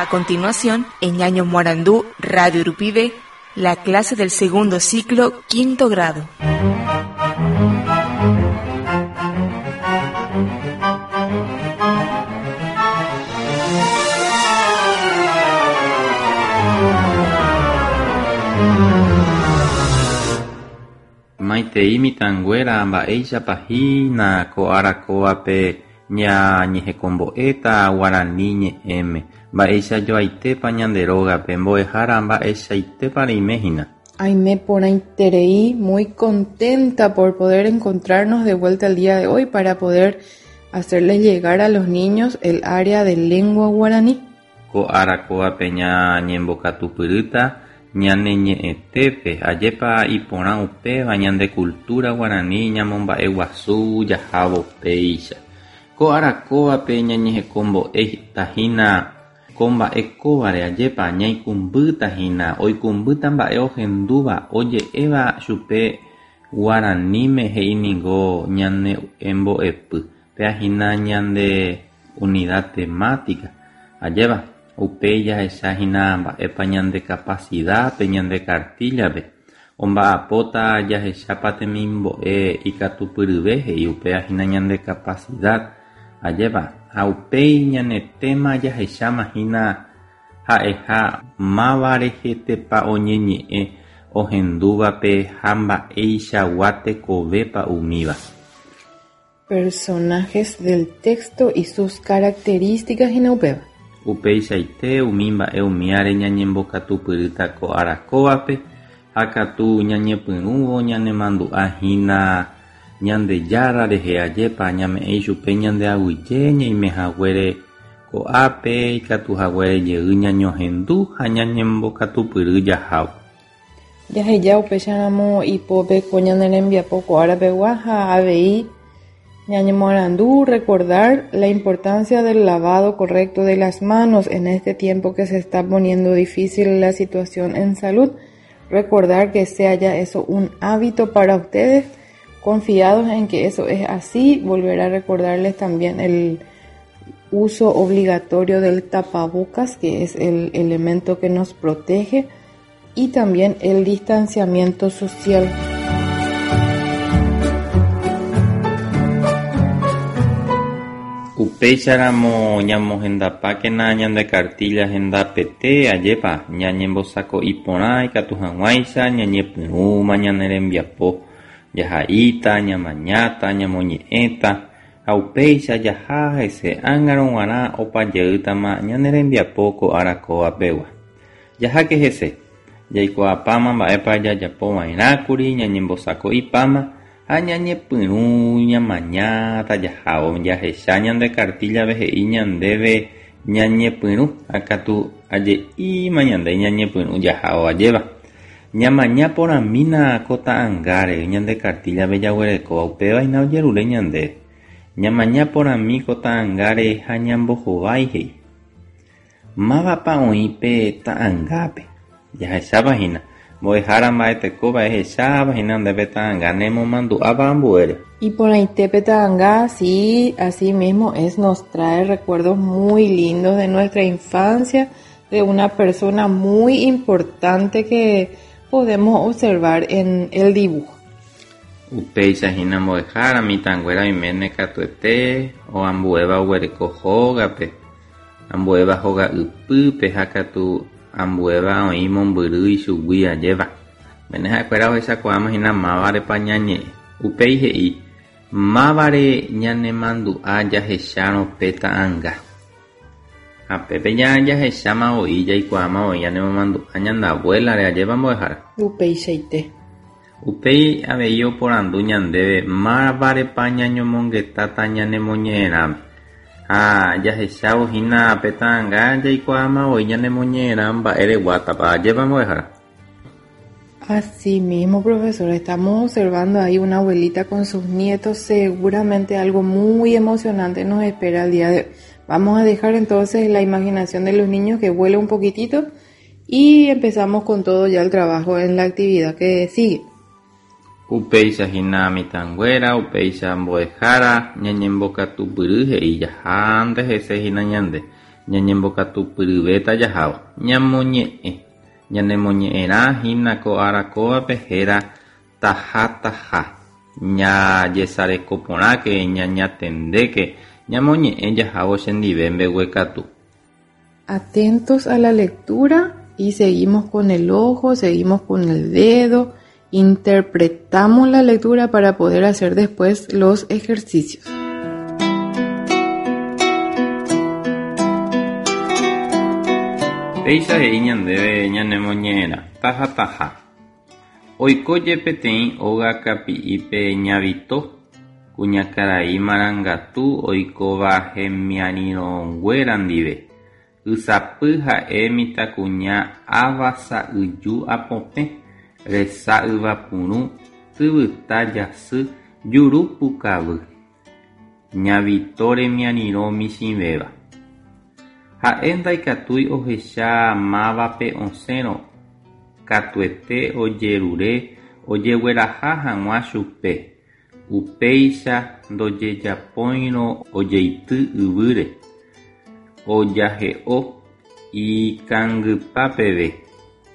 A continuación, en Ñaño Morandú, Radio Urupide, la clase del segundo ciclo, quinto grado. Maitei mitãnguéra mba'éichapa hína ko ára kóvape ñañehekombo'éta guarani ñe'ẽme, mba'eichajoaitépa ñande rógape, mbo'ehára mba'eichaitépa reime hína. Aime porãiterei, muy contenta por poder encontrarnos de vuelta el día de hoy para poder hacerles llegar a los niños el área de lengua guaraní. Ko ára kóvape ñañembokatupyrýta ñane ñe'ẽtépe, ajépa iporã upéva ñande cultura guarani ñamomba'eguasu jahávo péicha. Ko ára kóvape ñañehekombo'éta hína ko mba'e kóvare, ajépa ñaikũmbýta hína, oikũmbýta mba'e ohendúva oje'éva chupe guaraníme he'i ningo ñane mbo'epy, péa hína ñande unidad temática, ajépa upéi jahecha hína mba'épa ñande capacidad-pe, ñande cartilla-pe, omba'apóta jahechápa temimbo'e ikatupyryve he'i upéva hína ñande capacidad, ajépa ha upéi ñane tema jahecháma hína ha'eha máva rehetépa oñeñe'ẽ ohendúvape ha mba'eichagua tekovépa umíva. Personajes del texto y sus características hína upéva. Upeichaite umi mba'e umíare ñañembokatupyrýta ko ára kóvape ha katu ñañepyrũvo ñanemandu'a hína Ñandejára rehe ajépa ñame'ẽ ichupe ñande aguyje ñaimehaguére ko'ápe ikatuhaguére jey ñañohendu ha ñañembokatupyry jahávo. Jaheja upéicharamo ipópe ko ñane rembiapo ko árapegua ha avei ñañemoarandu recordar la importancia del lavado correcto de las manos en este tiempo que se está poniendo difícil la situación en salud. Recordar que sea ya eso un hábito para ustedes, confiados en que eso es así, volver a recordarles también el uso obligatorio del tapabocas, que es el elemento que nos protege, y también el distanciamiento social. Upéicharamo ñamohendapákena ñande cartilla hendapete ajépa ñañembosako'i porã ikatu hag̃uáicha ñañepyrũma ñane rembiapo jaha'íta, ñamañáta, ñamoñe'ẽta ha upéicha jaha hese ág̃arõ g̃uarã opajeýtama ñane rembiapo ko ára kóvapegua. Jaháke hese, jaikuaapáma mba'épa jajapova'erãkuri ñañembosako'ipáma ha ñañepyrũ ñamañáta jahávo jahecha ñande cartilla-pe he'i ñandéve ñañepyrũ ha katu aje'íma ñande ñañepyrũ jahávo ajéva. Ñamaña porãmína ko ta'ãngáre ñande cartilla-pe jaguerekóva upéva ojerure ñandéve. Ñamaña porãmi ko ta'ãngáre ha ñambohovái he'i. Mávapa oĩ pe ta'ãngápe. Jahechápa hína. Mbo'ehára mba'etekóva ehecháva hína ndéve ta'ãnga nemomandu'áva ambuére. Iporãite ta'ãnga, sí, así mismo es, nos trae recuerdos muy lindos de nuestra infancia, de una persona muy importante que podemos observar en el dibujo. Upéicha hína mbo'ehára mitãnguéra oiméne katuete o ambuéva oguereko hógape, ambuéva hóga ypýpe ha katu ambuéva oĩ mombyry ichugui ajéva. Oiméne ha'ekuéra ohechakuaáma hína mávarepa ñañe'ẽ. Upéi he'i mávare ñanemandu'a jahechárõ pe ta'ãnga. Ha pépe jahecháma voi jaikuaáma voi ñanemomandu'a ñande abuelare ajépa mbo'ehára. Upeichaite. Upéi avei oporandu ñandéve mávarepa ñañomongetáta ñanemoñe'ẽrãme. Ha jahechávo hína pe ta'ãnga jaikuaáma voi ñanemoñe'ẽrã mba'ereguátapa ajépa mbo'ehára. Así mismo, profesor, estamos observando ahí una abuelita con sus nietos, seguramente algo muy emocionante nos espera el día de hoy. Vamos a dejar entonces la imaginación de los niños que vuele un poquitito y empezamos con todo ya el trabajo en la actividad que sigue. Upéicha hína mitãnguéra, upéicha mbo'ehára ñañembokatupyry he'i jahánte hese hína ñande. Ñañembokatupyryvéta jahávo. Ñamoñe'ẽ. Ñanemoñe'ẽrã hína ko ára kóvape héra Taha taha. Jajesareko porãke, ñañatendéke, ñamoñe'ẽ jahávo chendive mbeguekatu. Atentos a la lectura y seguimos con el ojo, seguimos con el dedo, interpretamos la lectura para poder hacer después los ejercicios. Péicha he'i ñandéve ñanemoñe'ẽrã, taha taha. Oikóje peteĩ óga kapi'ipe Ña Vito, kuñakarai marangatu oikóva hemiarirõnguéra ndive. Ysapy ha'e mitãkuña ava sa'yju apopẽ, resa yvapurũ, tyvyta jasy, juru pukavy. Ña Vito remiarirõ michĩvéva. Ha'e ndaikatúi ohecha mávape osẽrõ katuete ojerure ojegueraha hag̃ua chupe, upéicha ndojejapóirõ ojeity yvýre, ojahe'o ikangypa peve,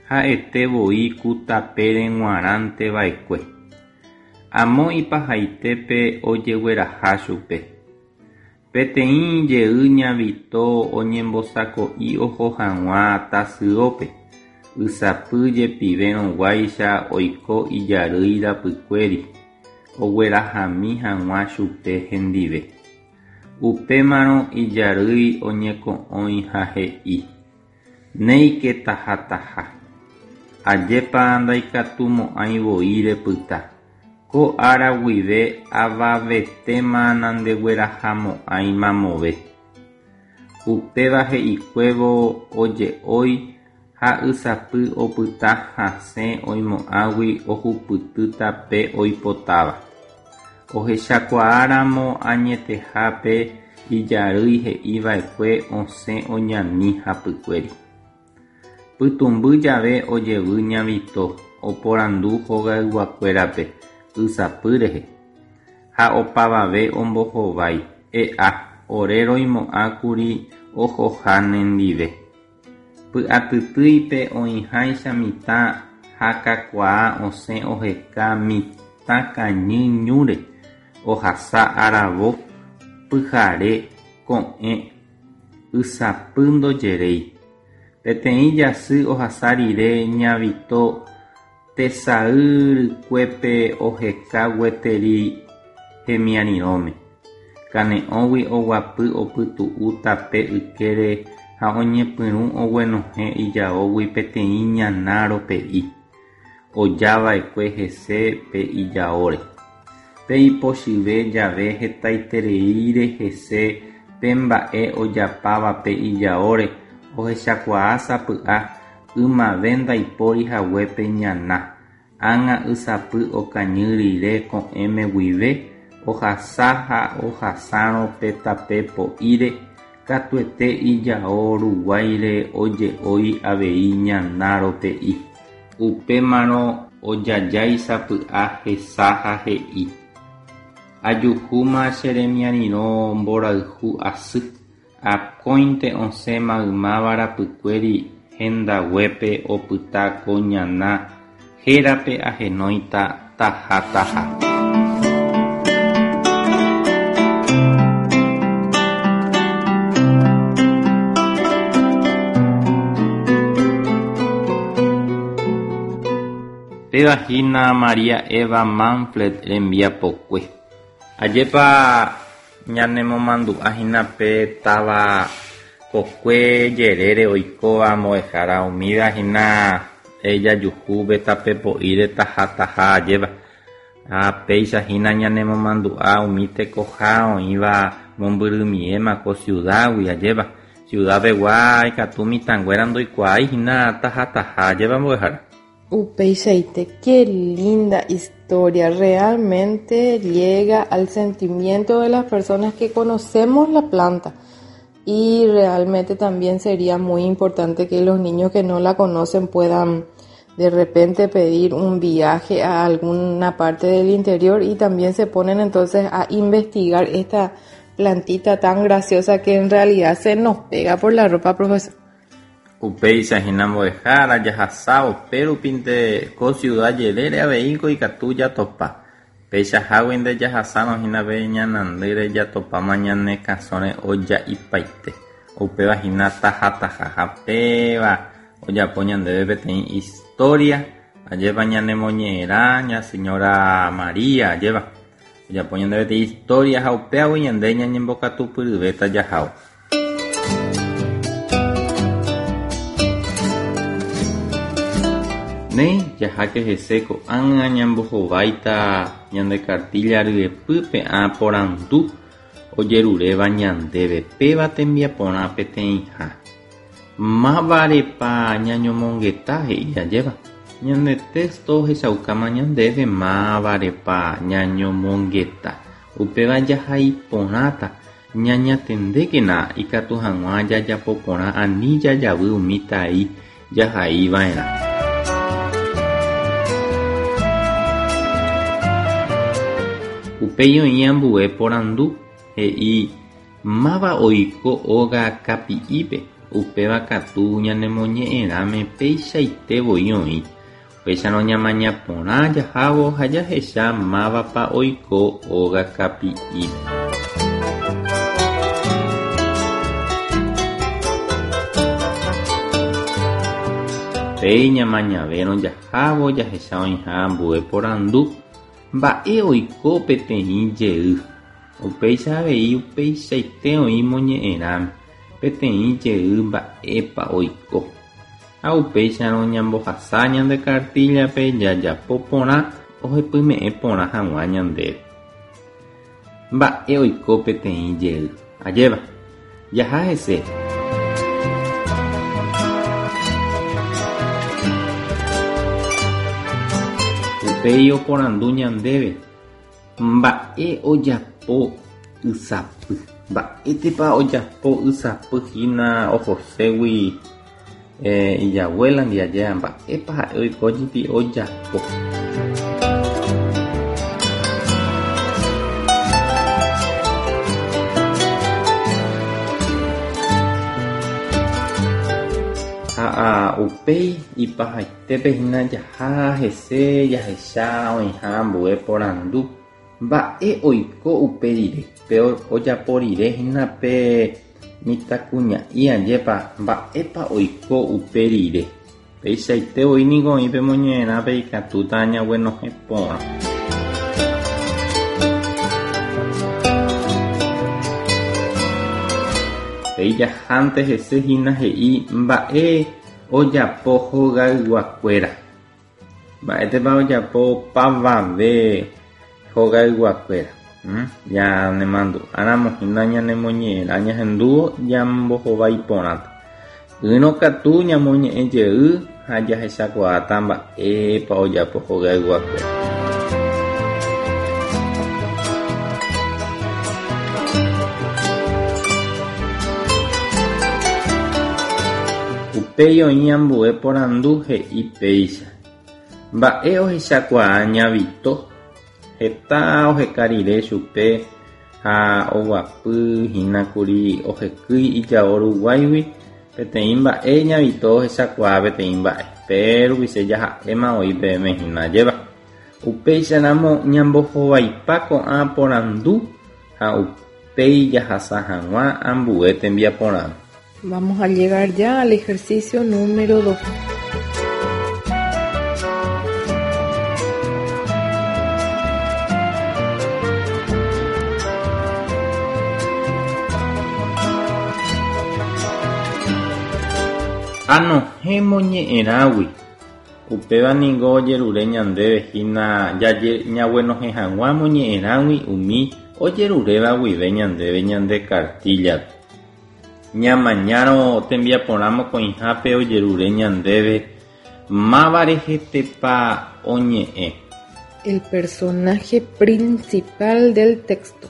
ha'ete voi ku tapére g̃uarãnteva'ekue. Amo ipahaitépe ojegueraha chupe. Peteĩ jey Ña Vito oñembosako'i oho hag̃ua tasyópe, ysapy jepivérõguáicha oiko ijarýi rapykuéri oguerahami hag̃ua chupe hendive. Upémarõ ijarýi oñeko'õi ha he'i. Néike taha taha. Ajépa ndaikatumo'ãi voi repyta. Ko ára guive avavetéma nandeguerahamo'ãi mamove. Upéva he'ikuévo oje'ói ha ysapy opyta hasẽ oimo'ãgui ohupytýta pe oipotáva. Ohechakuaáramo añetehápe ijarýi he'iva'ekue osẽ oñani hapykuéri. Pytũmby jave ojevy Ña Vito oporandu hogayguakuérape ysapy rehe ha opavave ombohovái, E'a, ore roimo'ãkuri ohoha nendive. Py'atytýipe oĩháicha mitã ha kakuaa osẽ oheka mitã kañy ñúre, ohasa aravo, pyhare, ko'ẽ, ysapy ndojeréi. Peteĩ jasy ohasa rire Ña Vito tesay rykuépe oheka gueteri hemiarirõme. Kane'õgui oguapy opytu'u tape ykére ha oñepyrũ oguenohẽ ijaógui peteĩ ñana rope'i ojava'ekue hese pe ijaóre. Pe ipochyve jave hetaitereíre hese pe mba'e ojapáva pe ijaóre ohechakuaa sapy'a ymave ndaipóri hague pe ñana, ág̃a ysapy okañy rire ko'ẽme guive ohasa ha ohasárõ pe tape po'íre katuete ijao ruguáire oje'ói avei ñana rope'i. Upémarõ ojajái sapy'a hesa ha he'i, Ajuhúma che remiarirõ mborayhu asy, akóinte osẽ maymáva rapykuéri hendaguépe opyta ko ñana hérape ahenóita taha taha. Péva hína María Eva Manfred rembiapokue. Ajépa ñanemomandu'a hína pe táva kokue jerére oikóva mbo'ehára umíva hína jajuhu pe tape po'íre taha taha ajépa. Ha péicha hína ñanemomandu'a umi tekoha oĩva mombyrymiéma ko ciudad-gui ajépa. Ciudad-pegua ikatu mitãnguéra ndoikuaái hína taha taha ajépa mbo'ehára. Upeichaite, qué linda historia, realmente llega al sentimiento de las personas que conocemos la planta y realmente también sería muy importante que los niños que no la conocen puedan de repente pedir un viaje a alguna parte del interior y también se ponen entonces a investigar esta plantita tan graciosa que en realidad se nos pega por la ropa, profesor. Upéicha hína mbo'ehára jahasávo pérupinte ko ciudad jerére aveíko ikatu jatopa. Peichaháguinte jahasárõ hína pe ñanandýre jatopáma ñane kasõre oja'ipaite. Upéva hína tahataha ha péva ojapo ñandéve peteĩ historia ajépa ñanemoñe'ẽrã ña señora María ajépa ojapo ñandéve peteĩ historia ha upévagui ñande ñañembokatupyryvéta jahávo. Néi, jaháke hese ko'ág̃a ñambohováita ñande kartílla ryepýpe ã porandu ojeruréva ñandéve péva tembiaporã peteĩha. Mávarepa ñañomongeta he'i ajépa? Ñande texto ohechaukáma ñandéve mávarepa ñañomongeta. Upéva jahai porãta. Ñañatendékena ikatu hag̃ua jajapo porã ani jajavy umi tai jahaiva'erã. Upéi oĩ ambue porandu, he'i máva oiko óga kapi'ípe, upéva katu ñanemoñe'ẽrãme peichaite voi oĩ. Upéicharõ ñamaña porã jahávo ha jahecha mávapa oiko óga kapi'ípe. Upéi ñamañavérõ jahávo jahecha oĩha ambue porandu, Mba'e oiko peteĩ jey? Upéicha avei upeichaite oĩ moñe'ẽrãme, peteĩ jey mba'épa oiko. Ha upéicharõ ñambohasa ñande kartíllape jajapo porã ohepyme'ẽ porã hag̃ua ñandéve. Mba'e oiko peteĩ jey? Ajépa. Jaha hese. Upéi oporandu ñandéve. Mba'e ojapo ysapy. Mba'étepa ojapo ysapy hína ohoségui ijabuélandi ajéva mba'épa ha'e oiko jepi ojapo. Ha upéi ipahaite. Pépe hína jaha hese jahecha oĩha ambue porandu. Mba'e oiko upe rire? Pe ojapo rire hína pe mitãkuña'i ajépa mba'épa oiko upe rire. Peichaite voi niko oĩ pe moñe'ẽrãpe ikatúta ñaguenohẽ porã. Upéi jahánte hese hína he'i mba'e Ojapo hogayguakuéra. Mba'étepa ojapo opavave hogayguakuéra? Ñanemandu'áramo hína ñanemoñe'ẽrã ñahendúvo ñambohovái porãta. Ỹrõ katu ñamoñe'ẽ jey ha jahechakuaáta mba'épa ojapo hogayguakuéra. Upéi oĩ ambue porandu he'i péicha, Mba'e ohechakuaa Ña Vito? Heta oheka rire chupe ha oguapy hína kuri ohekýi ijao ruguáigui peteĩ mba'e Ña Vito ohechakuaa peteĩ mba'e, pe rupiche jaha'éma oĩ peẽme hína ajépa. Upéicharamo ñambohovaipa ko'ã porandu ha upéi jahasa hag̃ua ambue tembiaporãme. Vamos a llegar ya al ejercicio número 2. Anohẽ moñe'ẽrãgui. Upéva ningo ojerure ñandéve hína ñaguenohẽ hag̃ua moñe'ẽrãgui umi ojeruréva guive ñandéve ñande kartíllape. Ñamañárõ tembiaporã mokõihápe ojerure ñandéve máva rehetépa oñe'ẽ. El personaje principal del texto.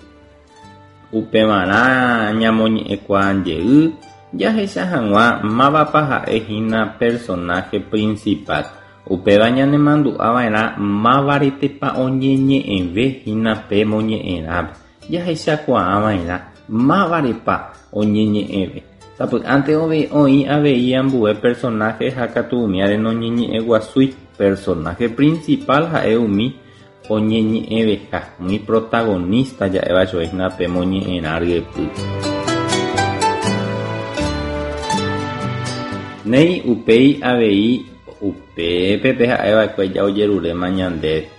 Upevarã ñamoñe'ẽkuaa jey jahecha hag̃ua mávapa ha'e hína personaje principal. Upéva ñanemandu'ava'erã mávaretépa oñeñe'ẽve hína pe moñe'ẽrãme. Jahechakuaava'erã. Mávarepa oñeñe'ẽve. Sapy'ánte oĩ avei ambue personaje ha katu umíare noñeñe'ẽguasúi. Personaje principal ha'e umi oñeñe'ẽveha, umi protagonista ja'éva chupe hína pe moñe'ẽrã ryepýpe. Néi upéi avei upépe pe ha'eva'ekue ja ojeruréma ñandéve.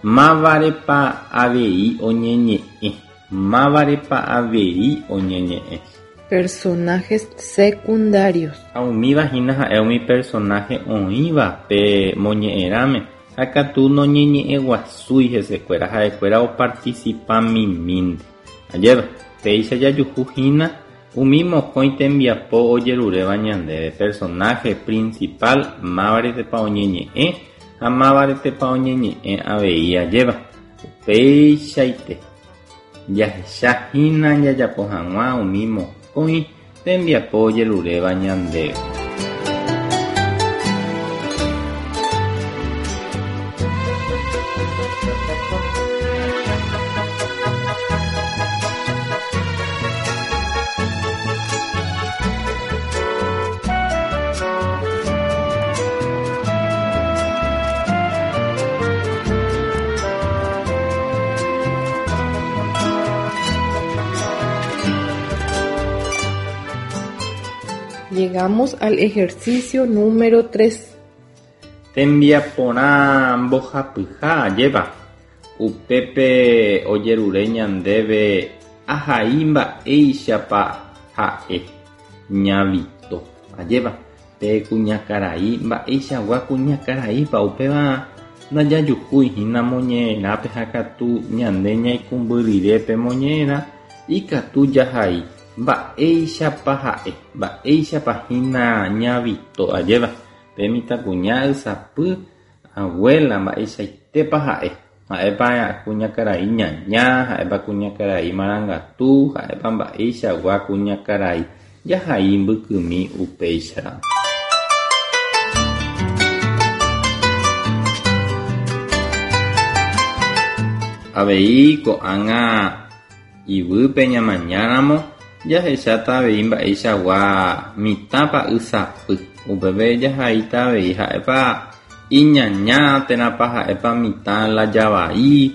Mávarepa avei oñeñe'ẽ. Mávarepa avei oñeñe'ẽ. Personajes secundarios. Ha umíva hína ha'e umi personaje oĩva pe moñe'ẽrãme ha katu noñeñe'ẽguasúi hesekuéra, ha'ekuéra oparticipamimínte. Ajépa, péicha jajuhu hína umi mokõi tembiapo ojeruréva ñandéve, personaje principal mávaretepa oñeñe'ẽ ha mávaretepa oñeñe'ẽ avei ajépa. Upeichaite, jahecha hína jajapo hag̃ua umi mokõi tembiapo ojeruréva ñandéve. Llegamos al ejercicio número 3. Tembiaporã mbohapyha ajépa. Upépe ojerure ñandéve ahai mba'éichapa ha'e Ña Vito. Ajépa, pe kuñakarai mba'eichagua kuñakaraípa upéva ndajajuhúi hína moñe'ẽrãpe ha katu ñande ñaikũmby rire pe moñe'ẽrã ikatu jahai mba'éichapa ha'e, mba'éichapa hína Ña Vito. Ajépa, pe mitãkuña ysapy abuela mba'eichaitépa ha'e. Ha'épa kuñakarai ñaña, ha'épa kuñakarai marangatu, ha'épa mba'eichagua kuñakarai jahai mbykymi upéicharamo. Avei ko'ág̃a yvýpe ñamañáramo jahecháta avei mba'eichagua mitãpa ysapy. Upépe jahaíta avei ha'épa iñaña térãpa ha'épa mitã lajavai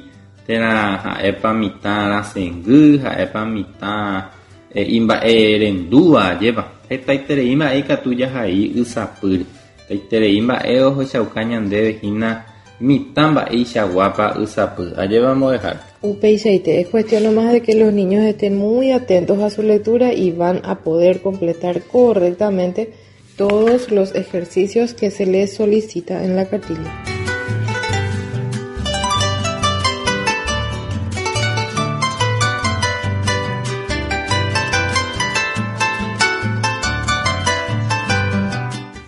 térã ha'épa mitã rasẽngy, ha'épa mitã imba'erendúva ajépa. Hetaiterei mba'e ikatu jahai ysapýre. Hetaiterei mba'e ohechauka ñandéve hína mitã mba'eichaguápa ysapy. Ajépa mbo'ehára. Upeichaite, es cuestión nomás de que los niños estén muy atentos a su lectura y van a poder completar correctamente todos los ejercicios que se les solicita en la cartilla.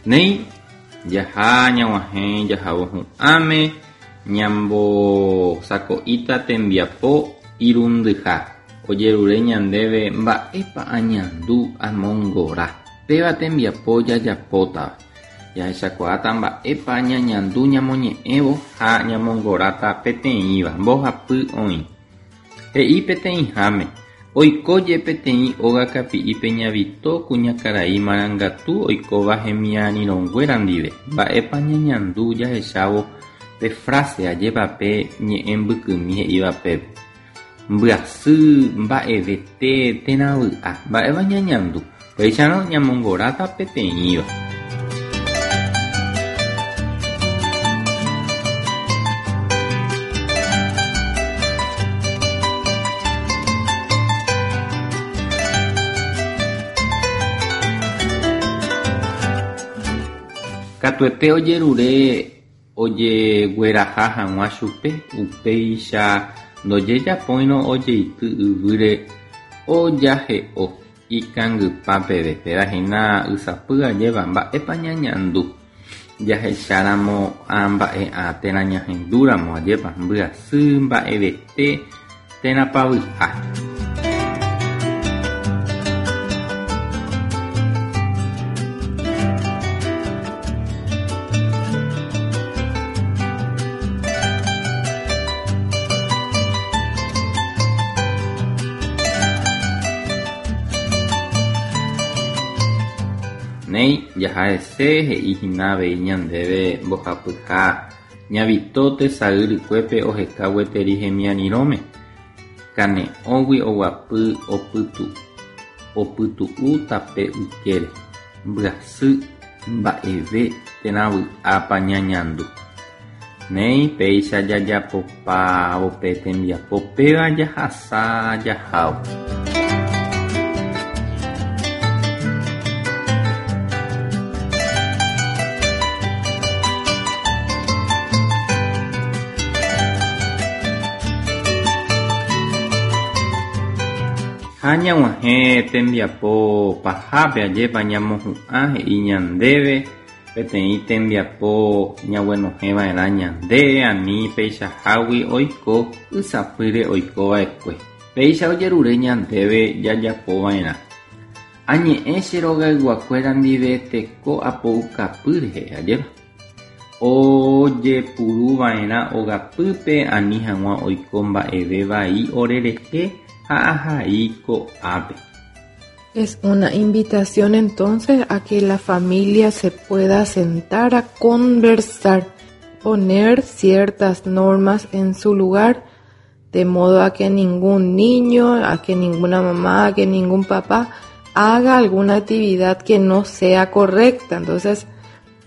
Néi, jaha ñag̃uahẽ jahávo hu'ãme ñambosako'íta tembiapo irundyha ojerure ñandéve mba'épa añandu amongora. Péva tembiapo jajapótava. Jahechakuaáta mba'épa ñañandu ñamoñe'ẽvo ha ñamongoráta peteĩva mbohapy oĩ. He'i peteĩháme, Oikóje peteĩ óga kapi'ipe Ña Vito kuñakarai marangatu oikóva hemiarirõnguéra ndive. Mba'épa ñañandu jahechávo pe frase ajépa pe ñe'ẽ mbykymi he'íva pépe. Mbyasy, mba'evete térã vy'a. Mba'épa ñañandu. Upéicharõ ñamongoráta peteĩva. Katuete ojerure ojegueraha hag̃ua chupe, upéicha ndojejapóirõ ojeity yvýre ojahe'o ikangypa peve. Péva hína ysapy ajéva mba'épa ñañandu jahecháramo ã mba'e'ã térã ñahendúramo ajépa mbyasy mba'evete térãpa vy'a. Jaha'ese he'íhina avei ñandéve mbohapyha Ña Vito tesay rykuépe oheka gueteri hemiarirõme. Kane'õgui oguapy opytu'u tape ykére. Mbyasy mba'eve térã vy'ápa ñañandu. Néi péicha jajapopávo pe tembiapo péva jahasa jahávo. Ha ñag̃uahẽ tembiapo pahápe ajépa ñamohu'ã he'i ñandéve peteĩ tembiapo ñaguenohẽva'erã ñande ani peichahágui oiko ysapýre oikova'ekue. Péicha ojerure ñandéve jajapova'erã. Añe'ẽ che rogayguakuéra ndive teko apoukapy rehe, ajépa? Ojepuruva'erã ogapýpe ani hag̃ua oiko mba'eve vai orerehe ha ahai ko'ápe. Es una invitación entonces a que la familia se pueda sentar a conversar, poner ciertas normas en su lugar, de modo a que ningún niño, a que ninguna mamá, a que ningún papá haga alguna actividad que no sea correcta. Entonces,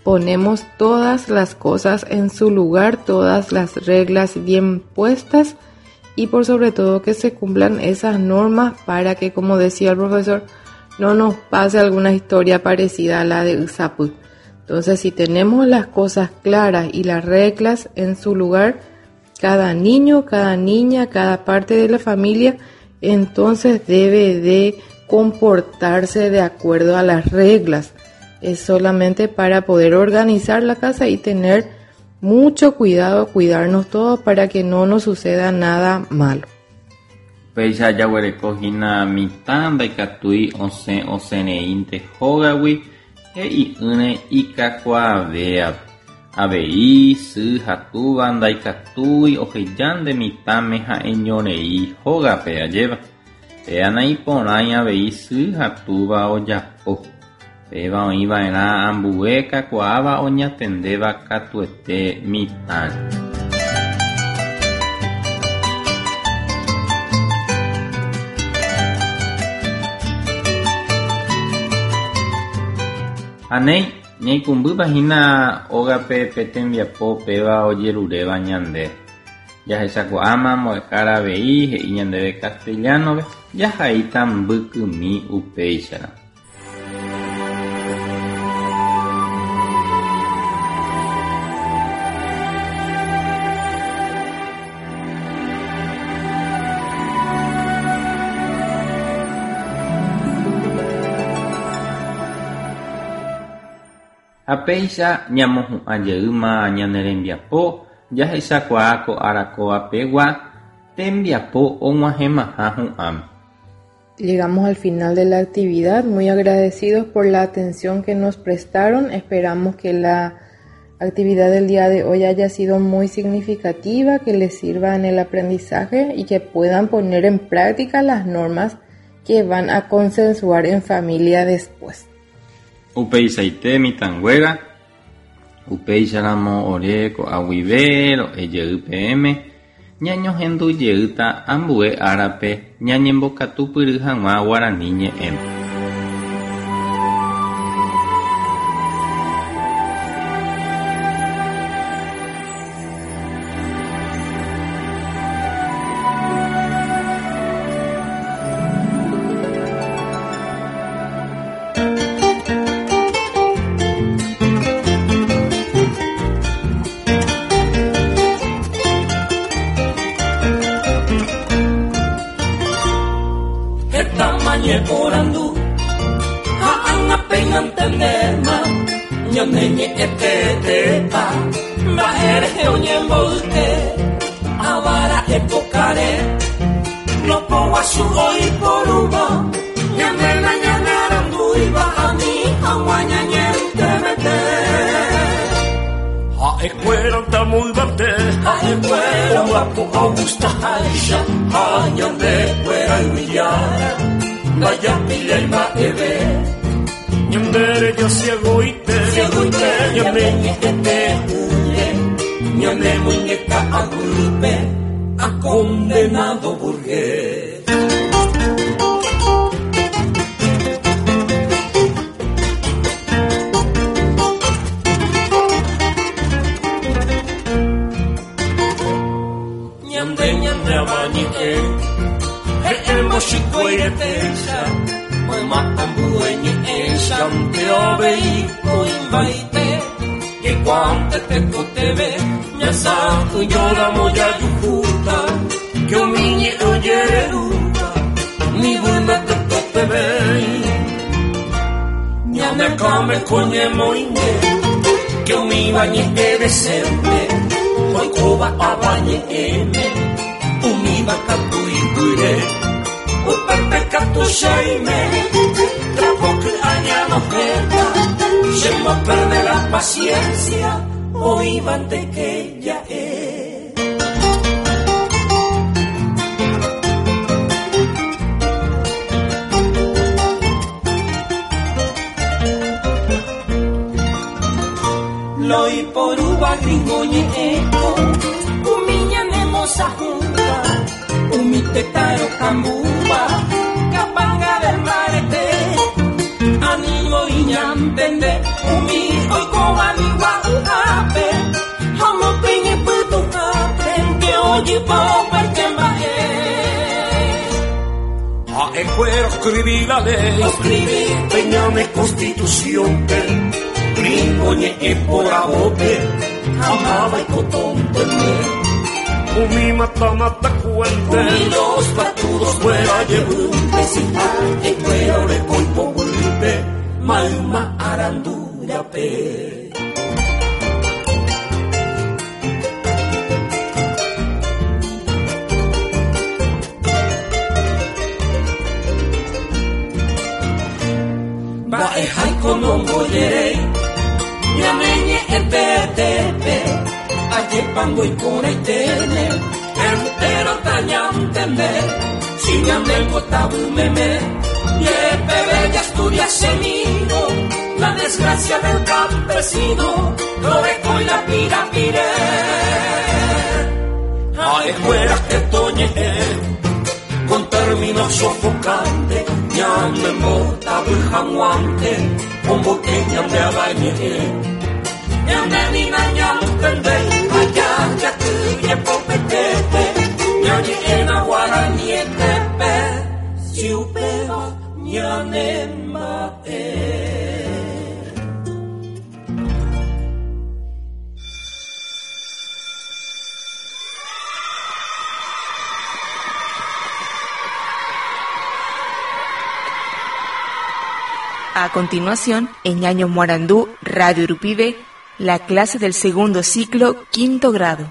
ponemos todas las cosas en su lugar, todas las reglas bien puestas y por sobre todo que se cumplan esas normas para que, como decía el profesor, no nos pase alguna historia parecida a la de Ysapy. Entonces, si tenemos las cosas claras y las reglas en su lugar, cada niño, cada niña, cada parte de la familia, entonces debe de comportarse de acuerdo a las reglas. Es solamente para poder organizar la casa y tener mucho cuidado, cuidarnos todos para que no nos suceda nada malo. Upéicha jaguereko hína mitã ndaikatúi osẽ osẽreínte hógagui he'i'ỹre ikakuaavéape. Avei sy ha túva ndaikatúi ohejánte mitãme ha'eñorei hógape, ajépa. Péva naiporãi avei sy ha túva ojapo. Péva oĩva'erã ambue kakuaáva oñatendéva katuete mitãre. Ha néi, ñaikũmbýpa hína ógape pe tembiapo péva ojeruréva ñande. Jahechakuaáma mbo'ehára avei he'i ñandéve castellano-pe jahaíta mbykymi upéicharõ. Ha péicha ñamohu'ã jeýma ñane rembiapo jahechakuaa ko ára kóva pegua tembiapo og̃uahẽmaha hu'ãme. Llegamos al final de la actividad, muy agradecidos por la atención que nos prestaron. Esperamos que la actividad del día de hoy haya sido muy significativa, que les sirva en el aprendizaje y que puedan poner en práctica las normas que van a consensuar en familia después. Upeichaite mitãnguéra, upéicharamo ore ko'a guive ro'e jey peẽme, ñañohendu jeýta ambue árape ñañembokatupyry hag̃ua guarani ñe'ẽme. Heta ñeporandu ha ág̃a péina ntendéma ñane ñe'ẽ teetépa mba'e rehe oñemboyke avara épokare lopoguasu oiporúva ñande nañanearandúiva ani hag̃ua ñañentemete. Ha'ekuéra tamo yvate, ha'ekuéra omba'apo ogustaháicha ha ñandekuéra yvyjára ndajapillái mba'eve. Ñande ciegoite, ciegoite, ñande ñe'ẽte une, ñande muñeca agüipe, a condenado burgués. Ñande ñande abañe'ẽ, he'ẽmbo chikuairetéicha, mayma ambue ñe'ẽicha nde avei oĩmbaite, jaikuaánte tekotevẽ ñasa'ỹjóramo jajuhúta, que umi ñe'ẽ ojererúva, ni vy'ỹme tekotevẽi. Ñane akãme ko ñemoinge, que umíva ñe'ẽ decente, oikóva avañe'ẽme, umíva katu iguýre, upépe katu cheime, trapo ky'a ñanohẽta, chemboperde la paciencia, oĩvante que ja'e. Loiporúva gringo ñe'ẽko, umi ñanemosãhũva, umi tetã rokambúva, kapanga del mbarete, ani voi ñantende umi oikóva nigua'yhápe, ha omopẽ ñepytũhápe nde ojypa opaite mba'e. Ha'ekuéra oscribí la ley, oscribí pe ñane constitución-pe, gringo ñe'ẽ poravópe, ha máva ikotontende. Umi mata mata cuente, umi los patudos fuera jevýnte, si ha'ekuéra oreko ipoguýpe, mayma arandu rape. Mba'eháiko nombojeréi ñane ñe'ẽ teetépe, ajépa ndoiporãiténe entero tañantende, si ñande mbotavy meme, jepeve jastudiasemírõ la desgracia del campesino, ndorekói la pirapire. Ha'ekuéra hetoñe'ẽ con términos sofocantes, ñande mbotavy hag̃uánte, omboyke ñande avañe'ẽ. Ñande ni nañantendéi ha jajakyjepopetépe, ñañe'ẽna guaranietépe, si upéva ñanemba'e. A continuación, en Ñaño Morandú, Radio Rupive, la clase del segundo ciclo, quinto grado.